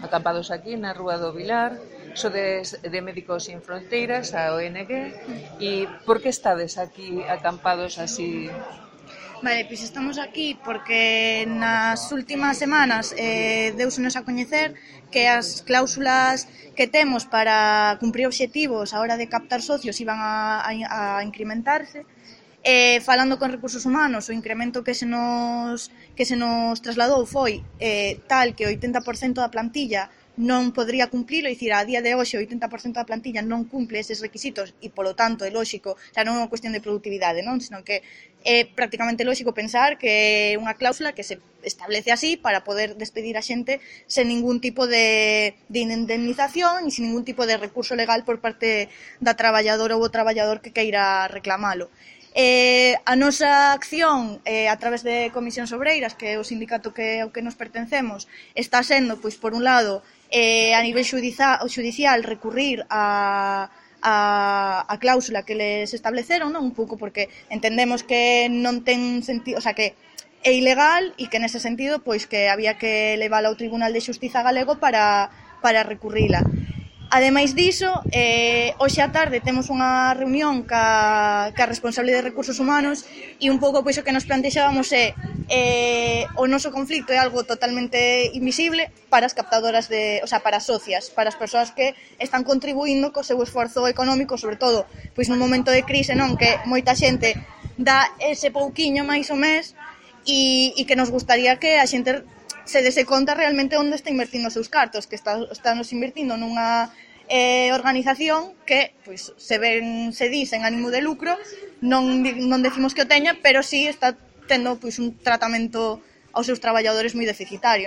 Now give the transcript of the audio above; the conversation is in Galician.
acampados aquí na Rúa do Vilar, sodes de Médicos Sin Fronteiras, a ONG, e por que estades aquí acampados así? Vale, pois estamos aquí porque nas últimas semanas deusenos a coñecer que as cláusulas que temos para cumprir obxectivos a hora de captar socios iban a incrementarse. Falando con Recursos Humanos, o incremento que se nos trasladou foi tal que o 80% da plantilla non podría cumplilo, é dicir, a día de hoxe o 80% da plantilla non cumple eses requisitos e, polo tanto, é lóxico, xa non é unha cuestión de productividade, non? Senón que é prácticamente lóxico pensar que é unha cláusula que se establece así para poder despedir a xente sen ningún tipo de indemnización e sen ningún tipo de recurso legal por parte da traballadora ou o traballador que queira reclamalo. A nosa acción a través de Comisións Obreiras, que é o sindicato ao que nos pertencemos, está sendo, pois, por un lado, a nivel xudicial recurrir a cláusula que les estableceron, non? Un pouco porque entendemos que non ten sentido, o sea, que é ilegal e que nese sentido pois que había que levala ao Tribunal de Xustiza galego para recurrila. Ademais diso, hoxe á tarde temos unha reunión ca responsable de Recursos Humanos e un pouco pois o que nos plantexábamos é o noso conflito é algo totalmente invisible para as captadoras para as socias, para as persoas que están contribuindo co seu esforzo económico, sobre todo pois nun momento de crise, non, que moita xente dá ese pouquiño máis o mes e que nos gustaría que a xente se dese conta realmente onde está invertindo os seus cartos, que estamos invertindo nunha organización que, pois, se di sen ánimo de lucro, non decimos que o teña, pero sí está tendo, pois, un tratamento aos seus traballadores moi deficitario, non?